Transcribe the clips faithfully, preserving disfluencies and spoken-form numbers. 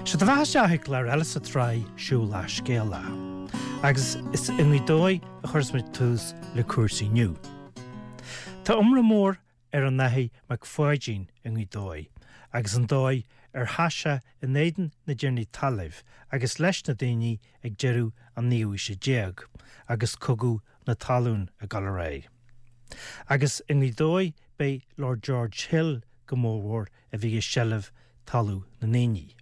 Sé do bheatha isteach i gclár eile sa tsraith Siúl le Scéala. Agus is i nGaoth Dobhair a chuireas muid tús le cúrsaí inniu. Tá iomrá mór ar an Athair Mac Pháidín i nGaoth Dobhair, agus an dóigh ar sheas sé in éadan na dtiarnaí talaimh agus leis na daoine ag deireadh an naoú haoise déag, agus cogadh na talún ag dul ar aghaidh. Agus i nGaoth Dobhair b'é Lord George Hill go mórmhór a bhí i seilbh talamh na ndaoine.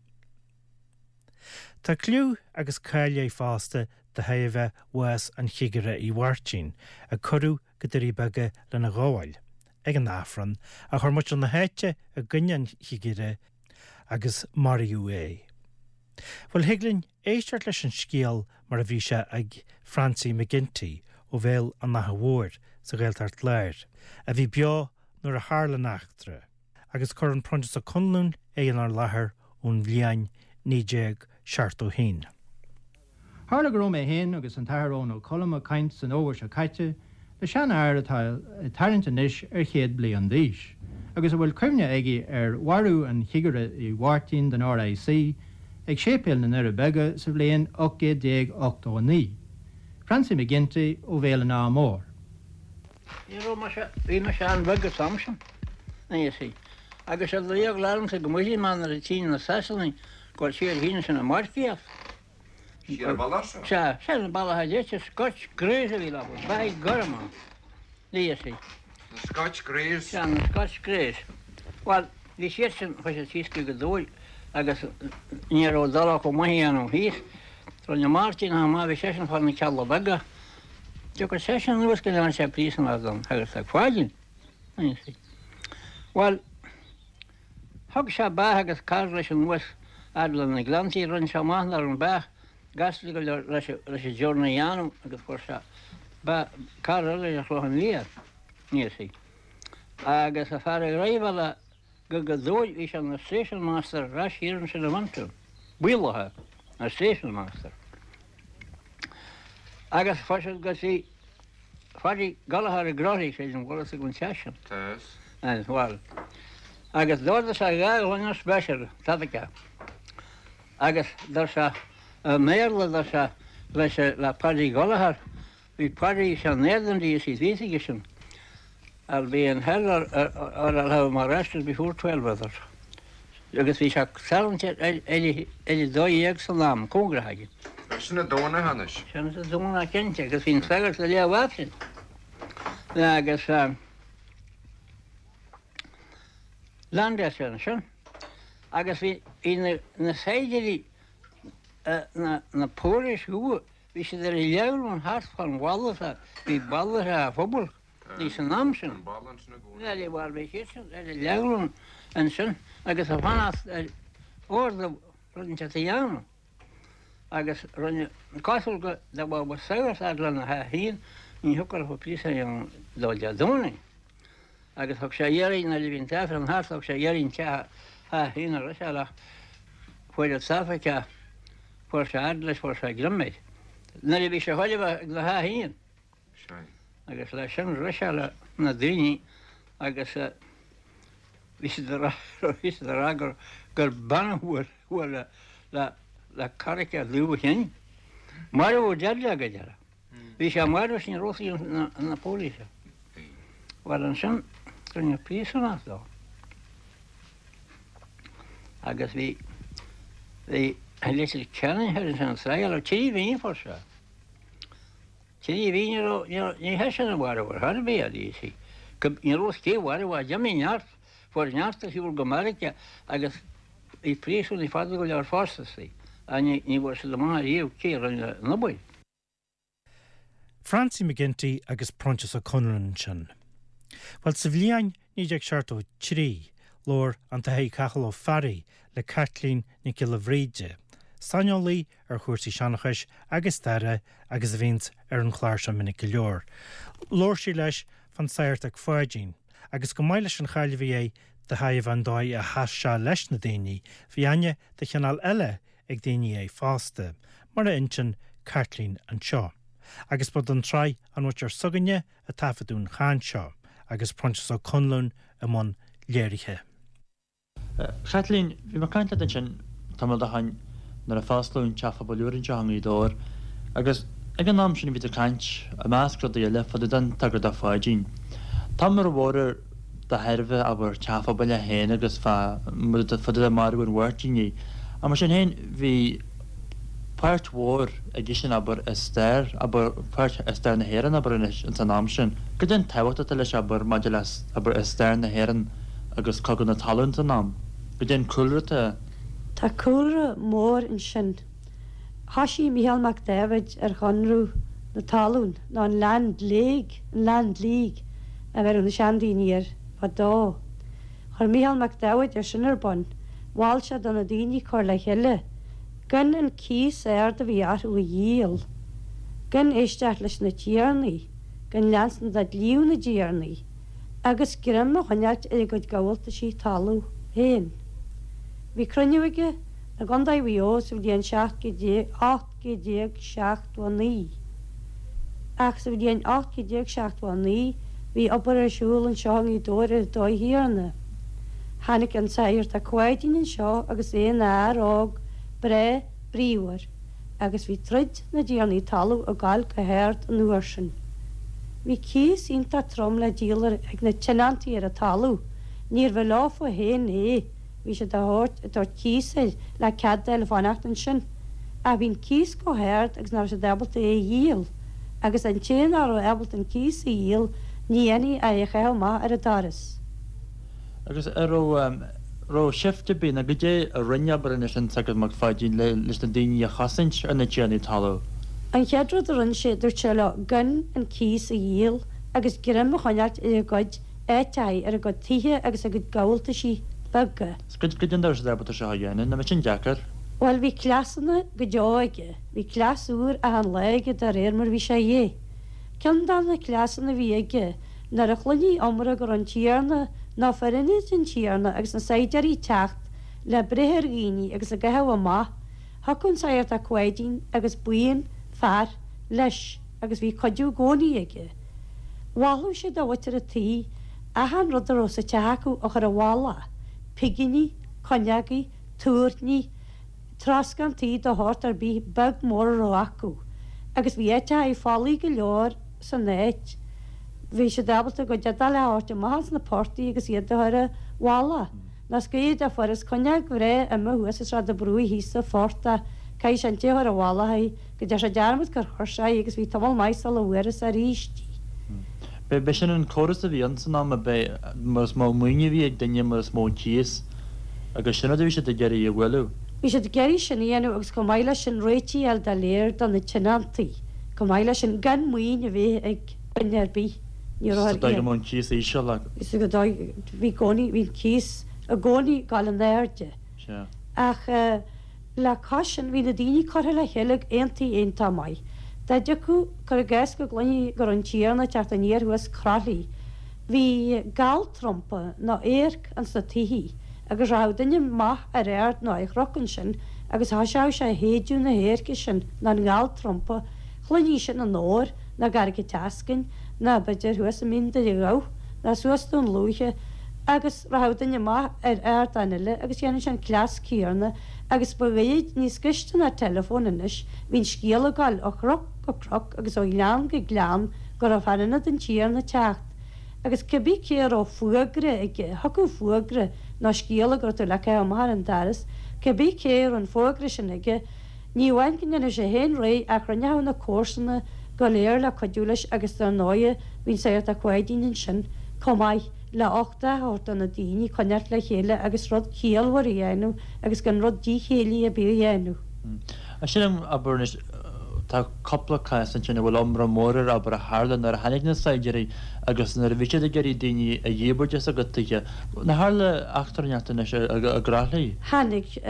Tá cliú agus cáil air fosta de thairbhe bhás an Chigire Uí Mháirtín, a cuireadh go Doirí Beaga lena ghabháil ag an Aifreann, a chuir muintir na háite i gcoinne an chigire agus maraíodh é. Bhuel thig linn éisteacht leis an scéal mar a bhí sé ag Francie McGinty ó Bhéal an Átha Mhóir sa Ghaeltacht Láir, a bhí beo nuair a tharla an eachtra, agus cuireann Proinsias Ó Conluain é inár láthair ón bhliain naoi déag seachtó haon. Tharla go raibh mé féin agus an tAthair Eoin Ó Colm ag caint san fhómhar seo caite le seanfhear atá ag tarraingt anois ar chéad bliain d'aois, agus a bhfuil cuimhne aige ar mharú an chigire Uí Mháirtín den RIC ag séipéal na nDoirí Beaga sa bhliain ocht gcéad déag ochtó a naoi. Francie McGinty ó Bhéal an Átha Móir. Ní raibh mise, bhí mise an-bheag an t-am sin, you see. Agus ar eagla ormsa go mbuailfí mé nuair a tchífinn na Sasanaigh go bhfuil siad féin sin ag marcaíocht. Siar an bealach seo? Sea, sin an bealach a deirtear, Scotch Greys a bhí leo, beathaí gorma, you see. Na Scotch Greys? Sea, na Scotch Greys. Bhuel, bhí siad sin, chuaigh siad síos go Gaoth Dobhair agus ní raibh dul acu amuigh a dhéanamh thíos. Rinne Máirtín chomh maith, bhí seisean fá na Cealla Beaga. Tiocfaidh seisean anuas go ndearna sé príosúnach don Shagart Mac Pháidín, you see. Bhuel, thug sé beathach agus cara leis anuas fhad le na Gleanntaí, rinne sé amach nach raibh an beathach gasta go leor leis an journey a dhéanamh agus fuair sé cara eile ar Chlochán Liath, you see. Agus an fear a dhriveáil go Gaoth Dobhair, bhí sé ina station master ar ais thiar ansin i Moncton, Baolaithe, ina station master. Agus fuair siad go dtí Pháidí Gallchóir i gCroithlí, sé an bhfuil a fhios ag an teach sin. Tá. Bhuel, agus d'ordaigh sé dhá ghloine special, tada Agus dúirt sé i mBéarla dúirt sé leis le Paddy Gallagher, bhí Paddy sé in éadan di is bhí aige sin. I'll be in hell or, or, or I'll have him arrested before twelve others. Agus bhí sé tarraingt ar a dó dhéag san am, cóngarach aige. Sin an Domhnach anois. Sin an Domhnach cinnte agus bhí an sagart le léamh Aifrinn. Agus landáil sé ansin. Agus bhí na na saighdiúirí na na póilíní dhubha, bhí siad ar a leabhrán thart fán bhalla sa bhí balla sa phobal bhí san am sin. An balla ansin i gcónaí. Bhuel bhí siad sin ar a leabhrán ansin agus a fanacht ar ordú rud inteacht a dhéanamh. Agus rinne cosúil go dá mbeadh sagart fhad lena a haon ní thiocfadh leo príosún a dhéanamh dó Dé Domhnaigh. Agus thug sé iarraidh nuair a bhí an t-aifreann thart thug sé iarraidh an teach a haon a rith sé ach fuair an tSafaic fuair sé fhad leis fuair sé greim air. Nuair a bhí sé chuile bheith ag na a haon. Agus leis sin rith sé le na daoine agus bhí siad a rá bhí siad a rá gur gur bean a fuair fuair le le le carraic dubh a chinn. Marbh deadly go deireadh. Bhí sé marbh sin rósaí na na póilíní. Bhuel ansin rinneadh príosúnach dó. Agus bhí bhí Leitir Ceanainn thoir ansin an sraith trí mhí fuair sé. Trí mhí ní raibh ní raibh ní hé sin a mharbh ar chor ar bith a bhí sí. Ní raibh cé mharbh a d'imigh neart fuair neart ar shiúl go Meiriceá agus bhí príosúnaigh fada go leor fosta sí. A ní ní bhfuair siad amach riamh cé a rinne an obair. Francie McGinty agus Proinsias Ó Conluain ansin. Bhuel sa bhliain naoi déag seachtó trí, labhair an tAthair Cathal Ó Fearraigh le Caitlín Nic Giolla Bhríde, saineolaí ar chúrsaí seanchais agus staire agus a bhíonns ar an chlár seo minic go leor. Labhair sí leis fán Sagart Mac Pháidín, agus chomh maith leis an cháil a bhí air de thairbhe an dóigh a sheas sé leis na daoine, bhí aithne de chineál eile ag daoine air fosta, mar a insíonn Caitlín anseo. Agus ba don tsraith An Mhuintir S'againne a taifeadadh an chaint seo, agus Proinsias Ó Conluain i mbun léirithe. Chaitlín, bhí mé ag caint leat ansin tamall ó shin nuair a fosclaíodh an Teach Pobail úr anseo i nGaoth Dobhair agus ag an am sin bhí ag caint i measc rudaí eile fá dtaobh den Sagart Ó Pháidín. Tá iomrá mór air de thairbhe abair teach pobail é féin agus fá fá dtaobh de mharú an Mháirtínigh. Ach mar sin féin bhí páirt mhór aigesean abair i stair abair páirt i stair na hÉireann abair anois ins an am sin. Goidé an tábhacht atá leis abair maidir le abair i stair na hÉireann agus cogadh na talún san am. Goidé an cúlra atá. Tá cúlra mór ansin. Thoisigh Mícheál Mac Dáibhid ar Chonradh na Talún, nó an Land League, an Land League a bheireadh na seandaoine air fadó. Chuir Mícheál Mac Dáibhid é sin ar bun, mhol sé do na daoine cur le chéile, gan an cíos ard a bhí orthu a dhíol, gan éisteacht leis na tiarnaí, gan leanstan de dhlí na dtiarnaí, agus greim a choinneáilt ar a gcuid gabháltaisí talún féin. Bhí cruinniú aige i gContae Mhaigh Eo sa bhliain seacht ocht gcéad déag seachtó a naoi. Ach sa bhliain ocht gcéad déag seachtó a naoi bhí obair ar siúl anseo i nGaoth Dobhair ar an dóigh chéanna. Tháinig an Sagart Ó Cuáidín anseo agus é ina fhear óg breá bríomhar agus bhí troid na dtiarnaí talún ag gabháil go hard an uair sin. Bhí cíos iontach trom le díol ag na tionóntaí ar an talamh. Níorbh leofa féin é, bhí siad á thabhairt ag tabhairt cíos air le cead dóibh fanacht ansin. Ach bhí an cíos chomh hard agus nach raibh siad ábalta é a dhíol. Agus an té nach raibh ábalta an cíos a dhíol, ní dhéanfaí é a chaitheamh amach ar an doras. Agus an raibh raibh seift ar bith nó goidé a rinne abair anois an Sagart Mac Pháidín le leis na daoine a chosaint ar na tiarnaí talún? An chéad rud a rinne sé, dúirt sé leo gan an cíos a dhíol agus greim a choinneáilt ar a gcuid áiteachaí, ar a gcuid tithe agus a gcuid gabháltaisí beaga. 'S goidé an dóigh a raibh siad ábalta seo a dhéanamh, nach mbeadh sin deacair? Bhuel, bhí cleasanna go deo aige. Bhí cleas úr achan lá aige de réir mar a bhí sé a dhíth. Ceann de na cleasanna a bhí aige, nuair a chluinfí iomrá go raibh an tiarna nó fear ionaid an tiarna agus na saighdiúirí ag teacht le breith ar dhaoine agus a gcaitheamh amach, thiocfadh an Sagart Ó Cuáidín agus buíon fear leis agus bhí cuidiú i gcónaí aige. Mholfadh sé do mhuintir an tí achan rud a raibh sa teach acu a chur i bhfolach, piginí, cuinneogaí, tuairní, troscán tí de shórt ar bith beag mór a raibh acu, agus bhí áiteachaí folaigh go leor san áit. Bhí siad ábalta a gcuid éadaí a thabhairt amach as na portaigh agus iad a chur i bhfolach. Nó is gaoth dá fuarthas cuinneog bhreá imithe thuas i Sráid an Bhrúigh thíos sa phortach, caithfidh sé an té a chuir i bhfolach í go dtearn sé dearmad gur chuir sé í agus bhí tamall maith sula bhfuarthas arís í. B'é sin an córas a bhí ann san am, ab é mar is mó maoin a bhí ag duine mar is mó an cíos agus sin rud a bhí siad ag iarraidh a bhualadh. Bhí siad ag iarraidh sin a dhéanamh agus chomh maith leis sin réitigh a fháil doiléir do na tionóntaí, chomh maith leis sin gan maoin a bheith ag duine ar bith. Ní raibh Sa ar dóigh go mbeadh an cíos íseal agus. Sa dóigh bhí gcónaí, bhí an cíos i gcónaí ag dul in airde. Sea. Ach le cois sin bhí na daoine curtha le chéile ag aontaí iontach maith. Dá dtiocfadh, cuir i gcás go gcluinfí go raibh an tiarna ag teacht aniar thuas Croithlí, bhí galltrumpa nó adharc ins na tithí agus rachadh duine amach ar ard nó ar chnoc ansin agus thoiseodh sé ag shéideadh na hadhairce sin nó an ghalltrumpa, chluinfí sin i nDobhar nó i gCarraig an tSeascainn nó b'fhéidir thuas i Mín Doire Dhamh nó suas Dún Lúiche agus rachadh duine amach ar ardán eile agus dhéanadh sé an cleas céanna agus ba ghoirid níos gaiste ná teileafón anois, bhí an scéal ag gabháil ó chnoc go cnoc agus ó ghleann go gleann go raibh fear ionaid an tiarna ag teacht agus cibé cé a raibh fuagra aige, thiocfadh fuagra nó scéala go raibh tú le caitheamh amach ar an doras, cibé cé a raibh an fógra sin aige, ní amháin go ndéanfadh sé féin réidh ach rinneadh na comharsana go léir le cuidiú leis agus dar ndóighe bhí an Sagart Ó Cuáidín ansin chomh maith le uchtach a thabhairt do na daoine coinneáilt le chéile agus rud ciallmhar a dhéanamh agus gan rud díchéillí ar bith a dhéanamh. Sin, abair anois, tá cúpla cás ansin a bhfuil iomrá mór air, abair, a tharla nuair a tháinig na saighdiúirí agus nuair a bhí siad ag iarraidh daoine a dhíbirt as a gcuid tithe. Nár tharla eachtra inteacht anois i gCroithlí? Tháinig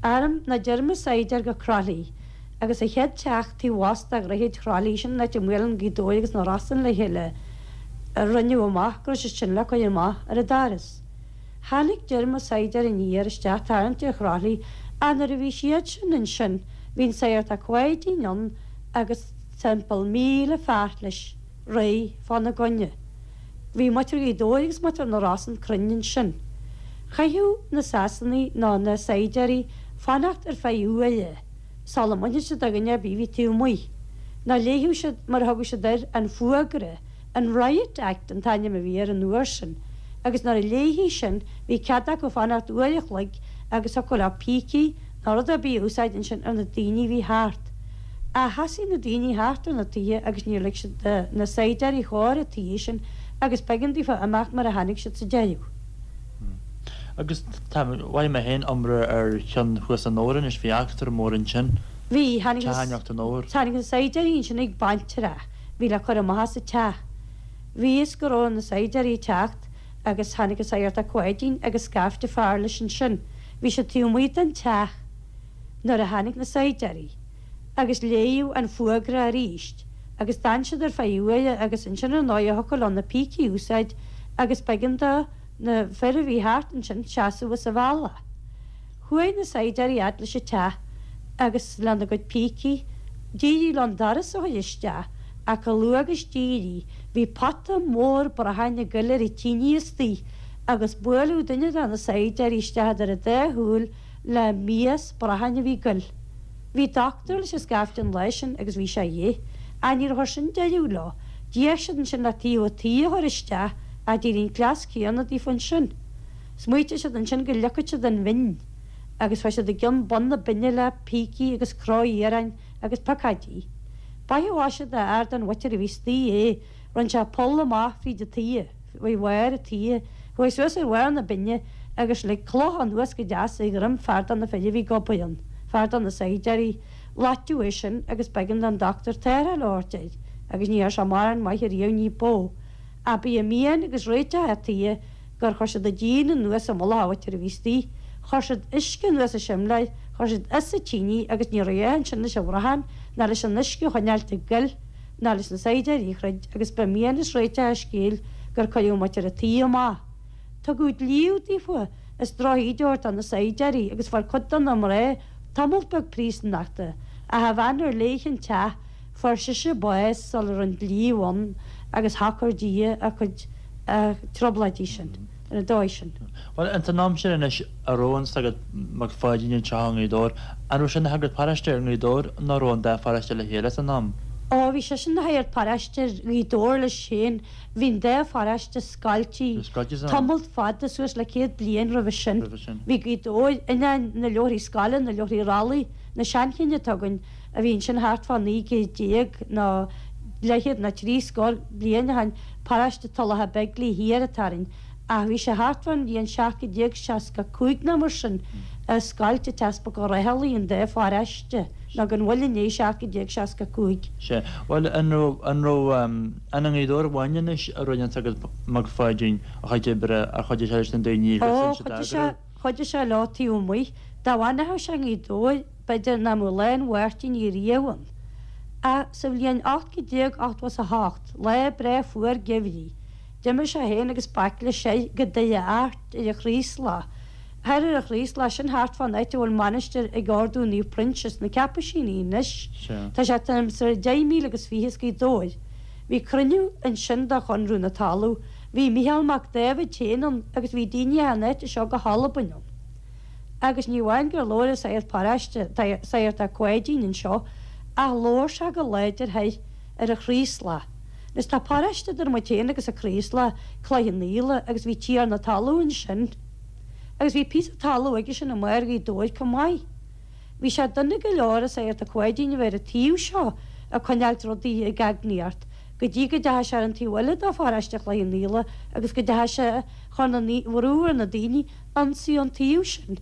arm nó díorma saighdiúir go Croithlí agus an chéad teach taobh abhus de dhroichead Chroithlí, sin an áit a mbuaileann Gaoth Dobhair agus na Rosann le chéile, a rinneadh amach go raibh siad sin le cur amach ar an doras. Tháinig díorma saighdiúir aniar isteach tarraingt ar Chroithlí ach nuair a bhí siad sin ansin bhí an Sagart Ó Cuáidín ann agus timpeall míle fear leis réidh fána gcoinne. Bhí muintir Ghaoth Dobhair agus muintir na Rosann cruinn ansin. Chaitheadh na Sasanaigh nó na saighdiúirí fanacht ar feadh uaire sula mbainfeadh siad de dhuine ar bith a bhí taobh amuigh. Nó léifeadh siad, mar a thugadh siad air, an fuagra, an Riot Act an t-ainm a bhí air an uair sin, agus nuair a léifí sin bhí cead acu fanacht uair a chloig agus thiocfadh leo pící nó rud ar bith a úsáid ansin ar na daoine a bhí thart. Ach sheasaigh na daoine thart ar na tithe agus níor lig siad do na saighdiúirí chóir an tí sin agus b'éigean daofa imeacht mar a tháinig siad sa deireadh. Agus tá, mhaígh mé féin iomrá ar cheann thuas an Fhómhair anois, bhí eachtra mór ansin. Bhí, tháinig Teach Neacht an Fhómhair. tháinig na saighdiúirí ansin ag baintreach, bhí le cur amach as an teach. Bhí fhios go raibh na saighdiúirí ag teacht agus tháinig an Sagart Ó Cuáidín agus scaifte fear leis ansin. Bhí siad taobh amuigh den teach nuair a tháinig na saighdiúirí agus léadh an fuagra arís agus d'fhan siad ar feadh uaire agus ansin ar ndóigh thiocfadh leo na pící a úsáid agus b'éigean do na fir a bhí thart ansin seasamh as a bhealach. Chuaigh na saighdiúirí fhad leis an teach agus lena gcuid pící, d'éirigh leo an doras a chur isteach ach chomh luath agus d'éirigh, bhí pota mór bracháin ag goil ar an tine istigh agus buaileadh duine de na saighdiúirí isteach idir an dá shúil le mias bracháin a bhí ag goil. Bhí dochtúir leis an scaifte an lá sin agus bhí sé dhe. Ach níor chuir sin deireadh leo. D'fhéach siad ansin le taobh an tí a chur isteach ach d'éirigh an cleas céanna daofa ansin. Smaoitigh siad ansin go leagfadh siad an bhinn agus chuaigh siad i gcionn bun na binne le pící agus croí iarainn agus piocóidí. B'ait a mhaise do fhear den mhuintir a bhí istigh é, rinne sé poll amach fríd an tuí, faoi bharr an tí, chuaigh suas ar bharr na binne agus lig cloch anuas go deas ar dhroim fear de na fir a bhí ag obair ann, fear de na saighdiúirí. Loiteadh é sin agus b'éigean don dochtúir tarrtháil a thabhairt air agus ní raibh sé mórán maith ariamh ní b'ó. Ach b'í an mian agus réiteach an tí gur chuir siad an díon anuas i mullach an mhuintir a bhí istigh. Chuir siad uisce anuas an simléar, chuir siad as an tine agus ní raibh a dhath ansin leis an bhrachán ná leis an uisce a choinneáilt ag goil ná leis na saighdiúirí a throid agus ba mian is réiteach an scéil gur cuireadh muintir an tí amach. Tugadh dlíodh daofa is drochíde a thabhairt do na saighdiúirí agus fuair cuid de na mná tamall beag príosúnachta ach an bhean ar léi an teach fuair sise bás sula raibh an dlíodh ann agus shocair Dia a cuid trioblóidí sin ar an dóigh sin. Bhuel, ins an am sin anois a raibh an Sagart Mac Pháidín anseo i nGaoth Dobhair, an raibh sé ina shagart paróiste ar Ghaoth Dobhair nó raibh an dá pharóiste le chéile san am? Ó, bhí seisean ina shagart paróiste ar Ghaoth Dobhair leis féin. Bhí an dá pharóiste scoilte Scoilte san am. tamalt fada, suas le céad bliain roimhe sin. Roimhe sin. Bhí Gaoth Dobhair, ainneoin na leabharthaí scoile, na leabharthaí rollaí, na seanchinn atá againn, a bhí ansin thart fá naoi gcéad déag nó leathchéad nó trí scór bliain ó shin, paróiste Tulacha Beigile thiar atá orainn, ach bhí sé thart fán bhliain seacht gcéad déag seasca cúig nó mar sin a scoilt an tEaspag Ó Raghallaigh an dá pharóiste, nó gan mhoill i ndiaidh seacht gcéad déag seasca cúig. Sea. Bhuel, an raibh, an raibh, an i nGaoth Dobhair amháin anois a rinne an Sagart Mac Pháidín a chuid oibre, ar chuidigh sé leis na daoine Ó, agus sin siad chuidigh sé, eagrú? chuidigh sé leo taobh amuigh. Dá bhfanfadh sé i nGaoth Dobhair, b'fhéidir nach mbeadh Lá an Mháirtín riamh ann. Ach sa bhliain ocht gcéad déag ochtó is a hocht, lá breá fuar geimhridh, d'imigh sé féin agus baicle soir go Doire Airt ar an Chraoslach. Thoir ar an Chraoslach, sin thart fán áit a bhfuil mainistir ag Ordú Naomh Proinsias, na Ceapaisíní anois. Sea. Tá sé timpeall ar deich míle agus fiche as Gaoth Dobhair. Bhí cruinniú ansin do Chonradh na Talmhan. Bhí Mícheál Mac Dáibhid féin ann agus bhí daoine as an áit seo go hAlbain ann. Agus ní amháin gur labhair an sagart paróiste, Sagart Ó Cuáidín anseo, ach labhair sé go láidir thoir ar an Chraoslach. Anois tá paróiste idir muid féin agus an Craoslach, Cloich Cheann Fhaola, agus bhí tiarna talún ansin. Agus bhí píosa talún aige sin i mbarr Ghaoth Dobhair chomh maith. Bhí sé dona go leor an Sagart Ó Cuáidín a bheith ar an taobh seo ag coinneáilt rudaí ag eagnaíocht, go dtí go dteachaigh sé ar an taobh eile de pharóiste Chloich Cheann Fhaola agus go dteachaigh sé chun an bhrú ar na daoine ionsaí an taobh sin.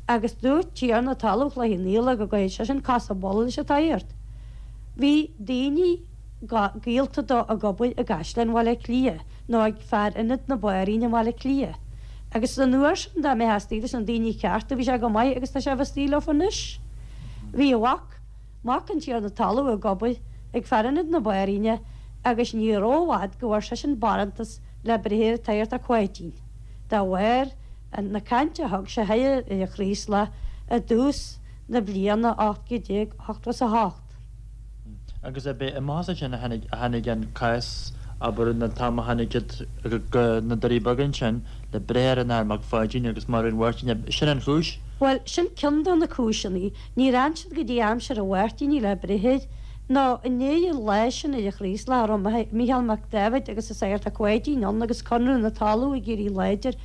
Agus dúirt tiarna talún Chloich Cheann Fhaola go gcaithfeadh seisean casadh buille leis an tsagart. Bhí daoine gaolta dó ag obair i gCaisleán Bhaile Átha Cliath nó ag fear ionad na Banríona i mBaile Átha Cliath. Agus san uair sin dá mbeifeá istigh leis na daoine cearta bhí sé go maith agus tá sé a bheith istigh leofa anois. Bhí a mhac, mac an tiarna talún ag obair ag fear ionad na Banríona agus ní rófhada go bhfuair seisean barántas le breith ar an tSagart Ó Cuáidín. Dá bharr na cainte a thug sé thoir ar an Chraoslach i dtús na bliana ocht gcéad déag ochtó is a hocht. Agus ab é amach as sin a tháinig a tháinig an cás, abair, an t-am a tháinig siad go na Doirí Beaga ansin le breith ar an Athair Mac Pháidín agus marú an Mháirtín, sin an chúis? Bhuel, sin ceann de na cúiseanna. Níor fhan siad go dtí aimsir an Mháirtínigh le breith air, ná i ndiaidh an lae sin ar an Chraoslach a raibh Mícheál Mac Dáibhid agus an Sagart Ó Cáidín ann agus Conradh na Talmhan ag éirí láidir,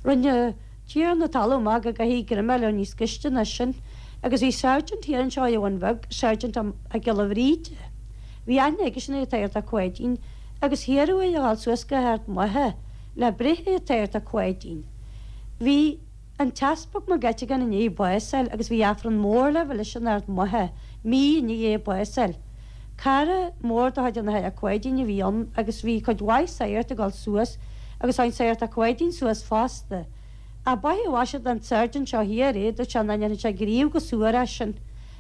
rinne tiarna talún amach go gcaithfí greim a fháil níos gaiste ná sin. Agus bhí sergeant thiar anseo ar an Bhun Bheag, Sergeant Mac Giolla Bhríde. Bhí aithne aigesean ar an tSagart Ó Cáidín agus hiarradh air a dhul suas go hArd Mhacha le breith ar an tSagart Ó Cáidín. Bhí an tEaspag Mac Eiteagáin i ndiaidh bás a fháil agus bhí Aifreann mór le bheith leis in Ard Mhacha mí i ndiaidh é bás a fháil. Cara mór de chuid an Athar Ó Cáidín a bhí ann agus bhí cuid mhaith sagart ag dul suas agus tháinig an Sagart Ó Cáidín suas fosta. Ach ba é a mhaise don tSergeant seo thiar é, dúirt sé nach ndéanfadh sé gníomh go suar as sin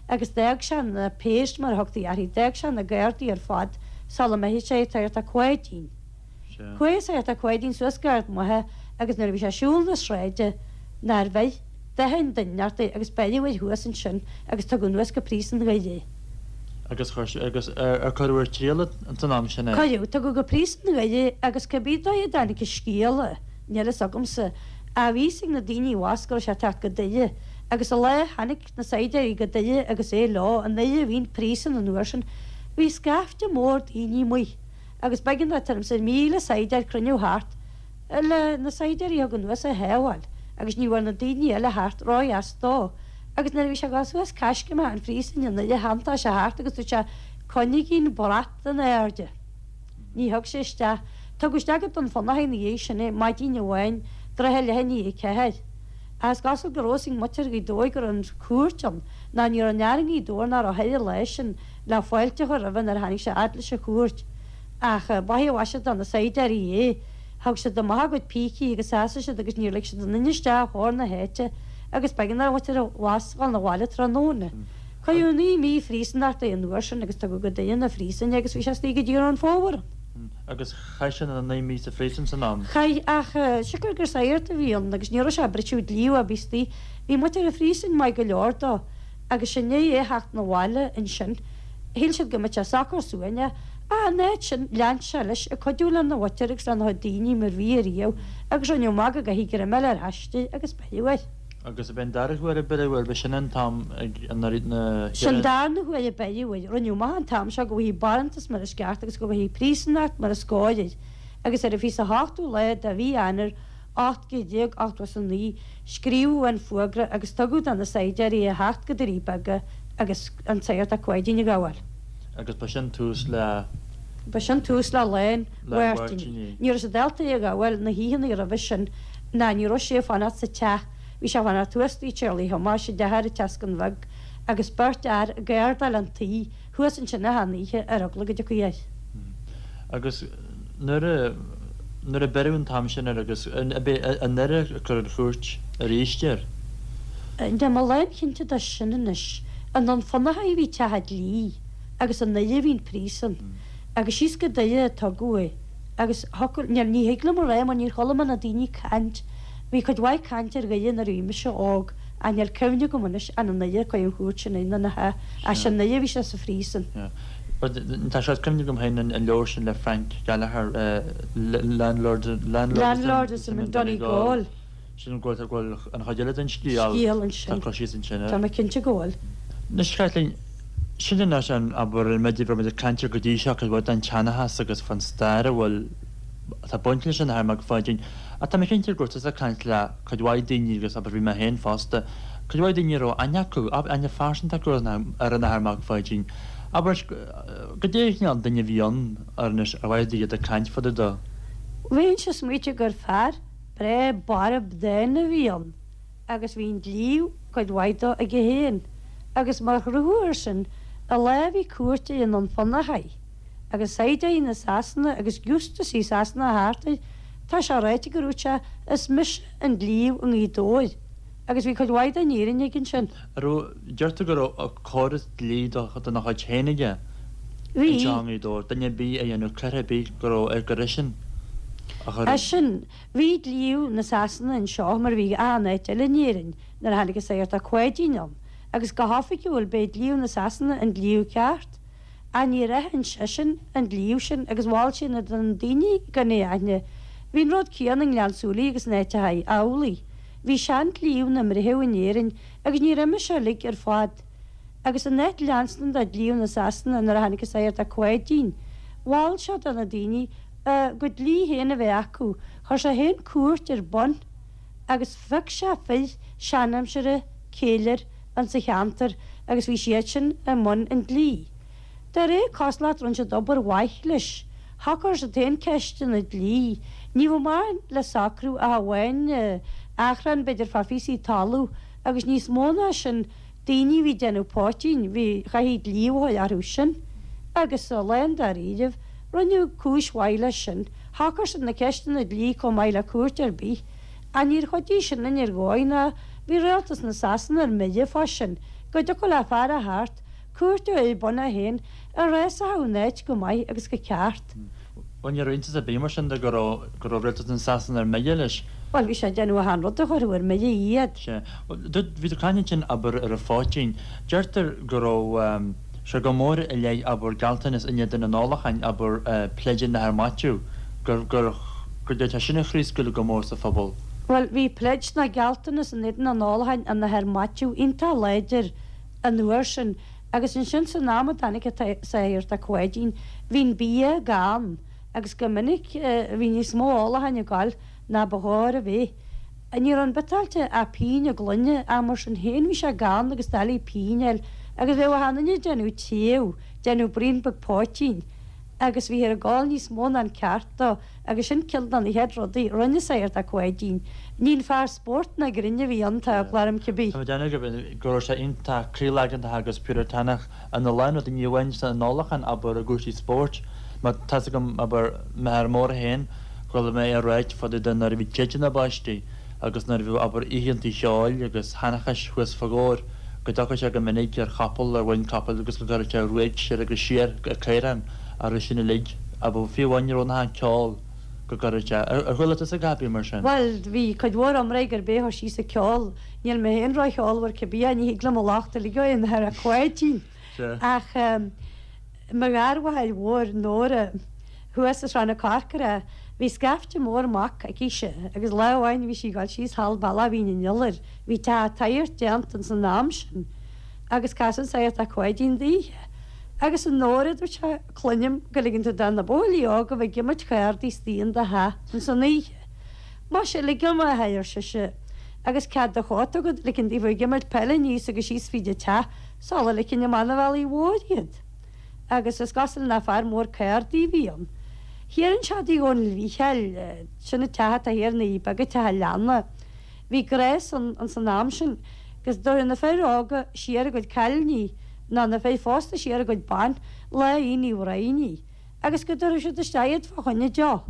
agus d'fhág sé na péist mar a thugtaí orthu, d'fhág sé na gardaí ar fad sula mbeifeadh sé an tSagart Ó Cáidín. Chuaigh an Sagart Ó Cáidín suas go Ard Mhacha agus nuair a bhí sé ag siúl na sráide nár bheir d'aon duine ort é agus beireadh air thuas ansin agus tugadh anuas go príosún Dhoire é. Agus chuir sé, agus ar cuireadh ar triail san am sin é? Cuireadh, tugadh go príosún Dhoire é agus cibé dóigh a dtáinig an scéala, níl fhios agamsa, ach bhí fhios ag na daoine abhus go raibh sé ag teacht go Doire agus an lá a tháinig na saighdiúirí go Doire agus é leo, i nDoire a bhí an príosún an uair sin, bhí scaifte mór daoine amuigh. Agus b'éigean dó tuairim 's míle saighdiúir cruinniú thart le na saighdiúirí a thug anuas a shábháil agus ní bhfuair na daoine eile thart ródheas dó. Agus nuair a bhí sé ag dul suas coiscéim an phríosúin i nDoire thiontaigh sé thart agus dúirt sé, Coinnigí an brat in airde. Ní thug sé isteach. Tugadh isteach go Dún Fionnachaidh ina dhiaidh sin é, maidin amháin, tráth leath i ndiaidh a ceathair. Ach is cosúil go raibh fhios ag muintir Ghaoth Dobhair go raibh an chúirt ann, ná ní raibh aon fhear i nGaoth Dobhair nach raibh thoir an lá sin le fáilte a chur roimhe nuair a tháinig sé fhad leis an chúirt. Ach ba é a mhaise do na saighdiúirí é. Thug siad amach a gcuid pící agus sheasaigh siad agus níor lig siad aon duine isteach ó na háite agus b'éigean dá mhuintir abhus dhul 'na bhaile tráthnóna. Cuireadh naoi mí phríosúnachta é an uair sin agus tugadh go Doire na phríosúin é agus bhí sé istigh go dtí go raibh an fómhar ann. Agus chaith sé na naoi mí sa phríosún san am? Chaith, ach siocair gur sagart a bhí ann agus ní raibh sé ag briseadh dlí ar bith istigh, bhí muintir an phríosúin maith go leor dó agus i ndiaidh é theacht 'na bhaile ansin shíl siad go mbeadh sé socair suaimhneach ach in áit sin lean sé leis ag cuidiú lena mhuintir agus lena chuid daoine mar bhí ariamh agus rinneadh amach go gcaithfí greim a fháil air aisti agus beireadh air. Agus ab é an dara huair a beireadh air, b'shin an t-am ag an na Sin an darna huair a beireadh air. Rinneadh amach an t-am seo go bhfaighfí barántas mar is ceart agus go bhfaighfí príosúnacht mar is cóir air agus ar an fiche 's a hochtú lá de mhí Eanáir ocht gcéad déag ochtó is a naoi, scríobhadh an fuagra agus tugadh do na saighdiúirí a theacht go Doirí Beaga agus an Sagart Ó Cáidín a ghabháil. Agus ba sin tús le. Ba sin tús le Lá an Mháirtínigh. Ní raibh siad ábalta é a ghabháil na hoícheanna roimhe sin ná ní raibh sé ag fanacht sa teach. Bhí sé ag fanacht thuas tigh Charlie Thomáis i dteach ar an tSeascann Bheag agus beirt fhear ag gardáil an tí thuas ansin achan oíche ar eagla go dtiocfaí air. Agus nuair a nuair a beireadh an t-am sin air agus ab é i nDoire a cuireadh an chúirt arís air? Níl mé lánchinnte de sin anois. I nDún Fionnachaidh a bhí teach an dlí agus i nDoire a bhí an príosún. Agus síos go Doire a tugadh é. Agus thiocfadh, níl, ní thig liom a rá mar níor chuala mé na daoine ag caint. Bhí cuid mhaith cainte ar Dhoire nuair a bhí mise óg ach níl cuimhne agam anois an i nDoire a cuireadh an chúirt sin air nó nach ea. Ach sin i nDoire a bhí sé sa phríosún. Tá sé cuimhne agam féin an leabhar sin le Frank Gallagher, Landlord Landlordism in Donegal. Sin go bhfuil an chuid eile den scéal Scéal ansin. Tá cur síos ansin air. Tá mé cinnte go bhfuil. Anois Caitlín, sin anois an abair an méid a bhí muid ag caint air go dtí seo cuid mhaith den tseanchas agus fan stair a bhfuil atá baint leis an Athair Mac Pháidín. Ach tá mé cinnte go raibh tusa ag caint le cuid mhaith daoine agus abair bhí mé féin fosta, cuid mhaith daoine a raibh aithne acu, aithne phearsanta acu ar an Athair Mac Pháidín. Abair, goidé an cineál duine a bhí ann ar anois ar mhaith duit iad ag caint fá dtaobh dó. Bheinnse ag smaoitiú gur fear breá borb dána a bhí ann agus bhí an dlí cuid mhaith dó aige féin agus mar chruthú air sin an lá a bhí cúirt air i nDún Fionnachaidh agus saighdiúirí na Sasana agus giústasaí Sasana thart air tá sé ráite gur dhúirt sé is mise an dlí i nGaoth Dobhair agus bhí cuid mhaith den fhírinne aige ansin. An raibh, deirtear go raibh córas dlí dena chuid féin aige Bhí. anseo i nGaoth Dobhair, duine ar bith a dhéanadh coir ar bith go raibh air gur eisean a chuir an. Eisean. Bhí dlí na Sasana anseo mar a bhí achan áit eile in Éirinn nuair a tháinig an Sagart Ó Cáidín ann agus go hoifigiúil b'é dlí na Sasana an dlí ceart. Ach níor aithin seisean an dlí sin agus mhol sé na do na daoine gan é a aithne. Bhí an rud céanna i nGleann tSúilí agus in áiteachaí amhlaidh. Bhí seandlíbh na mbreitheamh in Éirinn agus níor imigh sé uilig ar fad. Agus in áit leanstan de dhlíbh na Sasana nuair a tháinig an Sagart Ó Cuáidín, mhol sé do na daoine a gcuid dlí féin a bheith acu. Chuir sé féin cúirt ar bun agus phioc sé fir seanaimsire céilir insa cheantar agus bhí siad sin i mbun an dlí. De réir cosúlacht rinne siad obair mhaith leis. Shocair siad féin ceisteanna dlí. Ní bheadh mórán le socrú ach amháin achrann b'fhéidir fá phíosaí talún agus níos mó ná sin daoine a bhí ag déanamh poitín, bhí, chaithfí dlí a fháil orthu sin. Agus lán-dáiríribh, rinneadh cúis mhaith leis sin. Shocair siad na ceisteanna dlí chomh maith le cúirt ar bith. Ach níor chuidigh sin linn ar dhóigh ná bhí rialtas na Sasana ar mire fá sin, go dtiocfadh le fear a theacht, cúirt a chur ar bun é féin, a réasódh an áit go maith agus go ceart. Bhuel, ní raibh iontas ar bith mar sin de go raibh, go raibh rialtas na Sasana ar mire leis. Bhuel, bhí sé ag déanamh achan rud a chuirfeadh ar mire iad. Sea. Bhuel, dúirt, bhí tú ag caint ansin, abair, ar an phoitín. Deirtear go raibh sé go mór i leith, abair, gealltanas in éadan an ólacháin, abair, Pledge an Athar Maitiú, gur, gur, gur d'fhéadfadh sin a chraobhscaoileadh go mór sa phobal. Bhuel, bhí pledge ná gealltanas in éadan an ólacháin an Athar Maitiú iontach láidir an uair sin agus ansin san am a dtáinig an Sagart Ó Cuáidín, bhí an bia gann agus go minic bhí níos mó ólacháin ag gabháil ná ba chóir a bheith. Ní raibh an biotáilte ach pingin an gloine ach mar sin féin bhí sé gann agus doiligh pingin a fháil agus bheadh achan duine ag déanamh taobh, déanamh braon beag poitín agus bhíthear ag ól níos mó ná an ceart dó agus sin ceann de na chéad rudaí a rinne Sagart Ó Cuáidín. Ní an fear spóirt ná grinn a bhí ann, tá eagla orm cibé. Tá mé ag déanamh go raibh sé iontach croíleagantach agus piúratánach ina lán rudaí, ní amháin san ólachán, abair, i gcúrsaí spóirt. Mar tá's agam, abair, m'athair mór féin, chuala mé é ag ráit fá dtaobh de nuair a bhí téideanna báistí agus nuair a bhíodh, abair, oícheantaí cheoil agus sheanchais thuas fá Dhobhair, go dtiocfadh sé go minic ar chapall, ar mhuin capaill agus go gcuirfeadh sé ruaig siar agus siar ar caorán a raibh sin uilig, abair, fiú amháin ní raibh nach an ceol go gcuirfeadh sé. Ar chuala tusa a dhath ar bith mar sin? Bhuel, bhí cuid mhór iomrá gurb é a chuir síos an ceol. Níl mé féin ró-cheolmhar cibé, ní thig liom a locht a ligean ar an Athair Ó Cuáidín. Ach mo gharmháthair mhór, Nóra, thuas i Srath na Corcra, bhí scaifte mór mac aicise agus lá amháin bhí sí ag dul síos thall bealach Mhín an Iolair, bhí teach an tSagairt déanta ins an am sin agus casadh an Sagart Ó Cuáidín daoithe. Agus a Nóra, dúirt sé, cluinim go ligeann tú do na buachaillí óga bheith ag imirt chárdaí istigh in do theach ins an oíche. Muise, ligim, a athair, ar sise, agus cead do chóta agat, ligean daofa ag imirt peile aníos agus síos fríd an teach sula ligfinn amach 'na bhealaí mhóir iad. Agus is cosúil nach fear mór cárdaí a bhí ann. Thiar anseo i dtigh Dhónaill Mhícheáil, sin an teach atá thiar i nDoirí Beaga, teach an leanna. Bhí gnás ann ins an am sin go dtabharfadh na fir óga siar a gcuid cailíní ná na fir phósta siar a gcuid ban lá Aoine Uí Bhroighne agus go dtabharfadh siad isteach iad fá choinne deoch.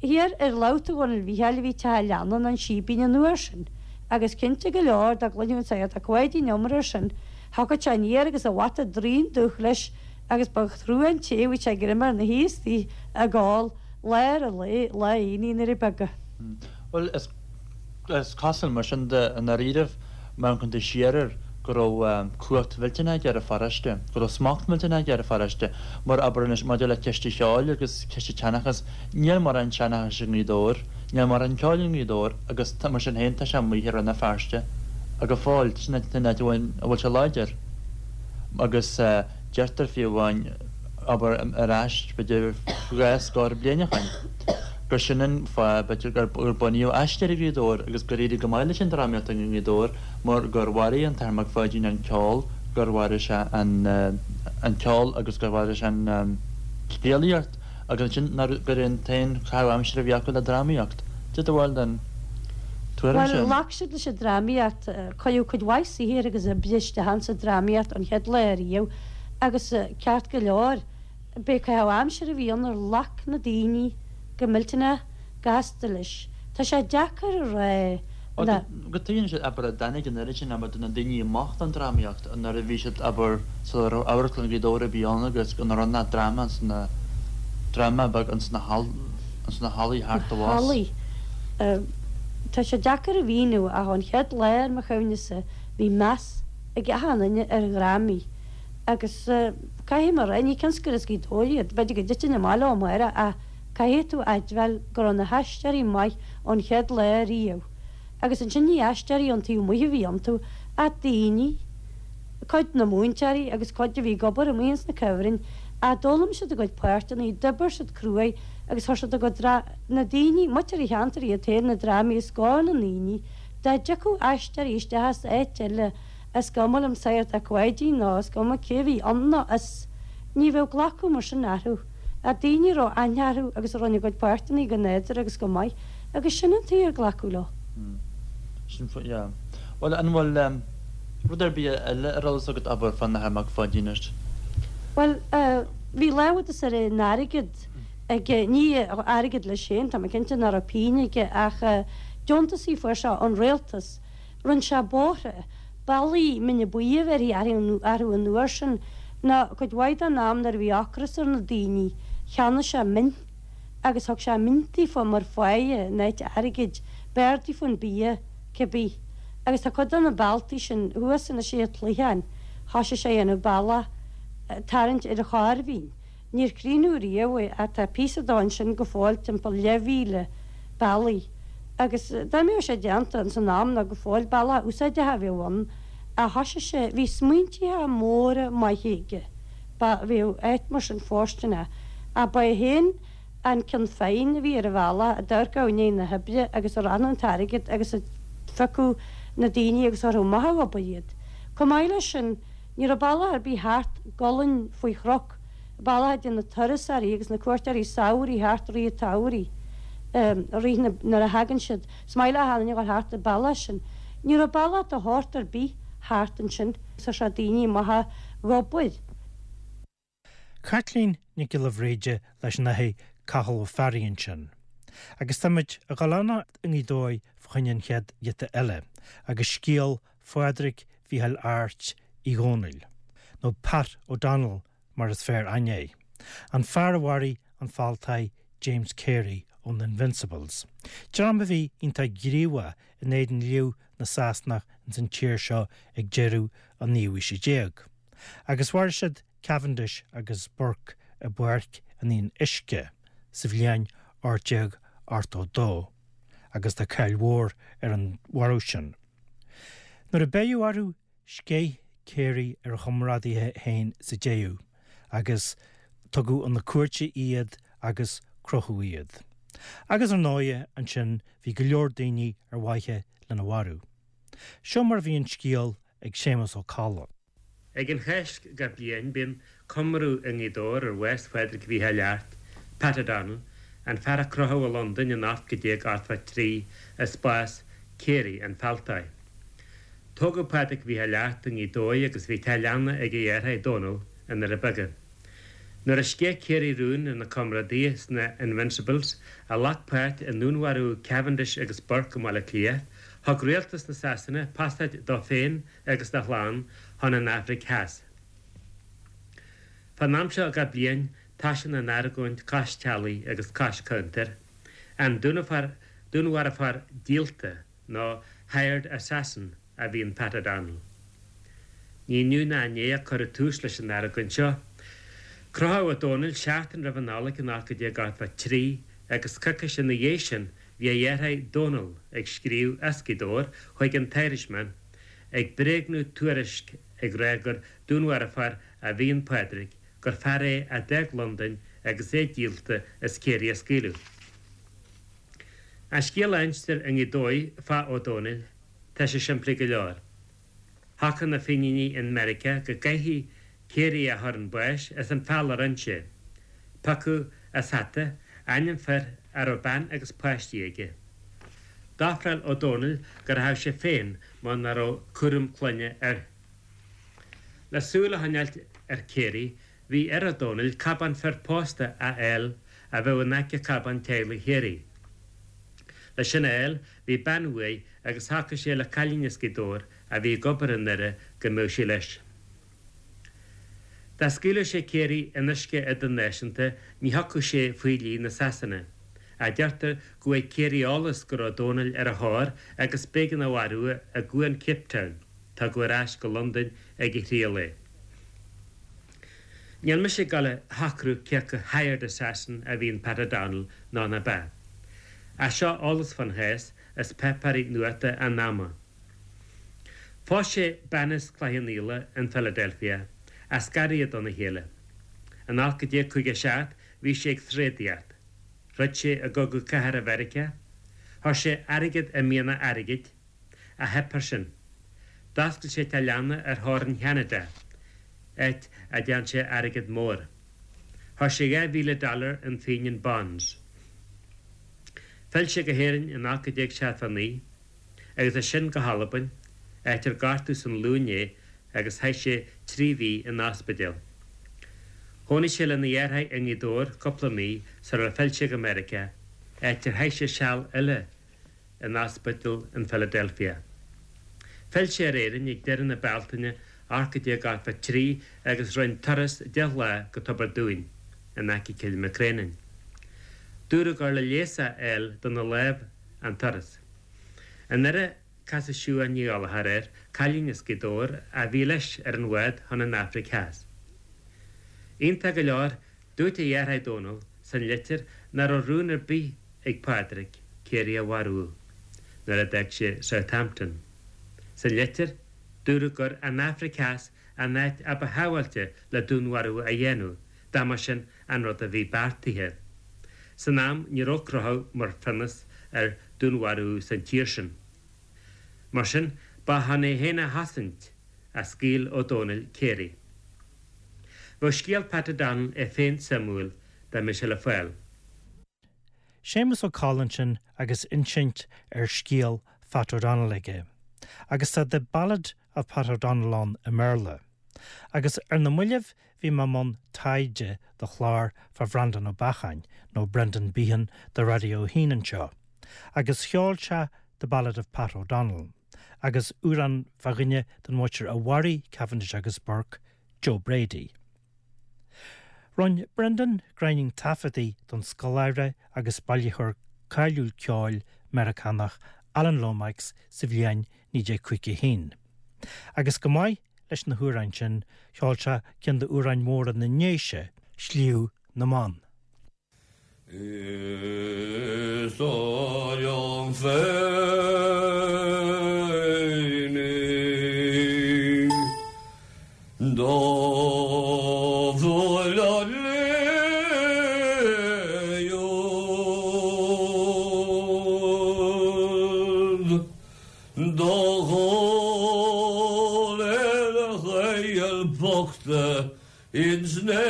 Thiar ar lámh tigh Dhónaill Mhícheáil a bhí teach an leanna ná an Síbín an uair sin agus cinnte go leor dá gcluinfeadh an Sagart Ó Cuáidín iomrá air sin thiocfadh sé aniar agus a bhata draoin dubh leis agus ba thrua an té a bhí sé greim ar na thaobh istigh ag ól lár an lae lá Aoine i nDoirí Beaga. Bhuel, is is cosúil mar sin de i ndáiríribh, má amharcann tú siar air, go raibh cumhacht mhillteanach aige ar an pharóiste, go raibh smacht millteanach aige ar an pharóiste. Mar, abair anois, maidir le ceist an cheoil agus ceist an tseanchais, níl mórán seanchais i nGaoth Dobhair, níl mórán ceoil i nGaoth Dobhair agus mar sin féin tá sé amuigh i Rann na Feirste go fóill, sin an áit a bhfuil sé láidir. Agus deirtear fiú amháin, abair, ar ais b'fhéidir dhá scór bliain ó shoin, gur sin an fáth, b'fhéidir, gur bunaíodh Aisteoirí Ghaoth Dobhair agus gur éirigh go maith leis an drámaíocht i nGaoth Dobhair mar gur mharaigh an tAthair Mac Pháidín an ceol, gur mharaigh sé an ceol agus gur mharaigh sé an scéalaíocht agus ansin gur é an t-aon chaitheamh aimsire a bhí acu le drámaíocht. Cad é do bharúil den tuairim Bhuel, sin? ghlac siad leis an drámaíocht, cuireadh cuid mhaith saothair agus oibre isteach insa drámaíocht an chéad lá ariamh agus ceart go leor, b'é caitheamh aimsire a bhí ann ar ghlac na daoine go millteanach gasta leis. Tá sé deacair a rá na. Go dtuigeann siad, abair, a dtáinig an oiread sin, abair, de na daoine amach don drámaíocht nuair a bhí siad, abair, sula raibh Amharclann Ghaoth Dobhair ar bith ann agus go raibh nach dráma ins na, dráma beag ins na hall, ins na hallaí thart abhus. Hallaí. Tá sé deacair a mhíniú ach ón chéad lá ar mo chuimhnese bhí meas ag achan duine ar dhrámaí agus caithfidh mé a rá, ní cionn is gur as Gaoth Dobhair iad, b'fhéidir go dtitfinn amach leo amárach ach Caithfidh tú a admháil go raibh na haisteoirí maith ón chéad lá riamh. Agus ansin ní aisteoirí ón taobh amuigh a bhí iontu, ach daoine, cuid de na múinteoirí agus cuid a bhí ag obair amuigh ins na cuibhrinn, ach d'fhoghlaim siad a gcuid páirteanna, d'oibir siad cruaidh agus chuir siad a gcuid dra, na daoine, muintir an cheantair iad féin, na drámaí os comhair na ndaoine, dá dtiocfadh aisteoirí isteach as áit eile, is cuma liom Sagart 'ac Pháidín nó is cuma cé a bhí ann nó as, ní bheadh glacadh mar sin orthu. Ach daoine a raibh aithne orthu agus a rinne a gcuid páirteanna go nádúrtha agus go maith, agus sin an tuige ar glacadh leo. Sin fo, yeah. Bhuel, an bhfuil em, rud ar bith eile ar eolas agat ábhar fán Athair Mac Pháidín anois? Bhuel, eh, bhí lámhadas ar an airgead aige, ní airgead leis féin, tá mé cinnte nach raibh pingin aige, ach eh, deontasaí fuair sé ón rialtas. Rinne sé bóithre, bealaí mine buí a bheirthí orthu an uair sin, nó cuid mhaith den am nuair a bhí ocras ar na daoine, cheannaigh sé min agus thug sé mintaí fá mar pháighe in áit airgid, b'fhearr daofa an bia, cibé. Agus tá cuid de na bealtaí sin thuas anois ar an Cloicheán, thoisigh sé a dhéanamh bealach ag tarraingt ar an Chorr Mhín. Níor críochnaíodh riamh é ach tá píosa dó ansin go fóill timpeall leathmhíle bealaigh. Agus dá mbeadh sé déanta ins an am nó go fóill, bealach úsáideach a bheadh ann. Ach thoisigh sé, bhí smaointithe móra maithe aige, ba, bheadh áit mar sin fóirsteanach. Ach ba é féin an ceann feadhain a bhí ar an bhealach, a d'amharcadh i ndiaidh na hoibre agus a roghnódh an t-airgead agus a phiocadh na daoine agus a chuirfeadh amach ag obair iad. Chomh maith leis sin, ní raibh bealach ar bith thart gualainn faoi chnoc, bealach a dtéann na turasóirí agus na cuairteoirí samhraidh thart i rith an tsamhraidh, i rith na, nuair a thagann siad. Is maith le achan duine a dhul thart an bealach sin. Ní raibh bealach de shórt ar bith thart ansin. Chuir sé daoine amach ag obair. Caitlín Nic Giolla Bhríde leis an Athair Cathal Ó Fearraigh ansin. Agus táimid ag dul a fhanacht i nGaoth Dobhair fá choinne an chéad ghiota eile, agus scéal Phádraig Mhícheáil Airt Uí Dhónaill, nó Pat O'Donnell mar is fearr aithne air, an fear a mharaigh an fealltóir James Carey ó na Invincibles, dream a bhí iontach gníomhach in éadan liú na Sasanach ins an tír seo ag deireadh an naoú haoise déag. Agus mharaigh siad Cavendish agus Burke i bPáirc an Fhionnuisce sa bhliain ocht déag ochtó dó, agus tá cáil mhór ar an mharú sin. Nuair a beireadh orthu, sceith Carey ar a chomrádaithe féin sa deireadh, agus tugadh chun na cúirte iad agus crochadh iad. Agus ar ndóighe, ansin bhí go leor daoine ar mhaithe lena mharú. Seo mar a bhí an scéal ag Séamus Ó Cadhla. Ag an Cháisc gach bliain bíonn comóradh i nGaoth Dobhair ar bhás Phádraig Mhícheáil Airt, Pat O'Donnell, an fear a crochadh i Londain in ocht déag ochtó trí i spás Carey, an fealltóir. Tógadh Pádraig Mhícheáil Airt i nGaoth Dobhair agus bhí teach leanna ag a dheartháir Dónal i nDoire Beaga. Nuair a sceith Carey rún ar na comrádaithe sna Invincibles a ghlac páirt i ndúnmharú Cavendish agus Burke i mBaile Átha Cliath, thug rialtas na Sasana pasáid dó féin agus dá chlann chun an Afraic Theas. Fán am seo gach bliain toisíonn an argóint cois teallaigh agus cois cuntair, an dúnmharfóir díolta nó hired assassin a bhí in Pat O'Donnell. Ní inniu ná inné a cuireadh tús leis an argóint seo. Crochadh Ó Dónaill seachtain roimh an Nollaig in ocht déag ochtó trí agus coicís ina dhiaidh sin bhí a dheartháir Dónal ag scríobh as Gaoth Dobhair chuig an tIrishman ag bréagnú tuairisc ag rá gur dúnmharfóir a bhí in Pádraig, gur fear é a d'fhág Londain agus é díolta is Carey á scaoileadh. An scéal a instear i nGaoth Dobhair fá Ó Dónaill, tá sé simplí go leor. Shocraigh na Fíníní in Meiriceá go gcaithfí Carey a chur chun báis as an bhfeall a rinne sé. Piocadh as hata ainm fir a raibh bean agus páistí aige. D'ofráil Ó Dónaill go rachadh sé féin mar nach raibh cúram clainne air. Le súil a choinneáilt ar Carey, bhí ar Ó Dónaill cábán fir pósta a fháil a bheadh in aice cábán teaghlaigh Carey. Leis sin a fháil, bhí bean uaidh agus shocraigh sé le cailín as Gaoth Dobhair a bhí ag obair i nDoire go mbeadh sí leis. Dá scaoilfeadh sé Carey in uisce idirnáisiúnta ní thiocfadh sé faoi dhlí na Sasana. Ach deirtear go bhfuair Carey eolas go raibh Dónall ar a thóir agus b'éigean a mharú i gcuan Cape Town. Tugadh ar ais go Londain ag a thriail é. Níl mise ag gabháil a shocrú cé acu hired assassin a bhí in Pat O'Donnell nó ná bea. Ach seo eolas fán chás as páipéirí nuachta an ama. Phós sé bean as Cloich Cheann Fhaola in Philadelphia, ach scar iad óna chéile. In ocht déag caoga a seacht bhí sé ag tréadaíocht. Throid sé i gCogadh Cathartha Mheiriceá. Chuir sé airgead i mianach airgid, ach theip air sin. D'oscail sé teach leanna ar theorainn Cheanada, áit a dtearn sé airgead mór. Chuir sé dhá mhíle dollar in Fenian Bonds. Phill sé go hÉirinn in ocht déag seachtó naoi, agus as sin go hAlbain, áit ar gortaíodh san ghlúin é agus chaith sé trí mhí in ospidéal. Chónaigh sé lena dheartháir i nGaoth Dobhair cúpla mí sular phill sé go Meiriceá, áit ar chaith sé seal eile in ospidéal in Philadelphia. Phill sé ar Éirinn ag deireadh na Bealtaine ocht déag ochtó trí agus rinne turas deich lá go Tobar Dúin, in aice Cill Mhic Réanáin. Dúradh gur le leigheas a fháil dona lámh an turas. I nDoire casadh Siubhán Ní Ghallchóir air, cailín as Gaoth Dobhair a bhí leis ar an bhád chun an Afraic Theas. Iontach go leor, dúirt a dheartháir Dónal san litir nach raibh rún ar bith ag Pádraig Carey a mharú nuair a d'fhág sé Southampton. Sa litir, dúradh gur an Afraic Theas an áit a ba shábháilte le dúnmharú a dhéanamh, dá mba sin an rud a bhí beartaithe. San am ní raibh crochadh mar phionós ar dúnmharú san tír sin. Mar sin, ba chun é féin a chosaint a scaoil Ó Dónaill Carey. Bheadh scéal Pat O'Donnell é féin suimiúil dá mbeadh sé le fáil. Séamus Ó Colla ansin agus insint ar scéal Phat O'Donnell aige, agus tá The Ballad of Pat O'Donnell ann i mBéarla. Agus ar na mallaibh bhí mé i mbun taighde do chlár fá Bhreandán Ó Beacháin nó Brendan Behan do Raidió a hAon anseo, agus cheol sé The Ballad of Pat O'Donnell, agus amhrán fá dhuine den mhuintir a mharaigh Cavendish agus Burke, Joe Brady. Rinne Brendan gráinnín taifeadtaí don scoláire agus bailitheoir cáiliúil ceoil Meiriceánach Alan Lomax sa bhliain naoi déag caoga a haon. Agus go maith leis na hamhráin sin cheol sé ceann d'amhráin mhóra na nDéise, Sliabh na mBan. Is dóigh liom féin í do bhualadh léi do dhul ar a ghaol bochta ins na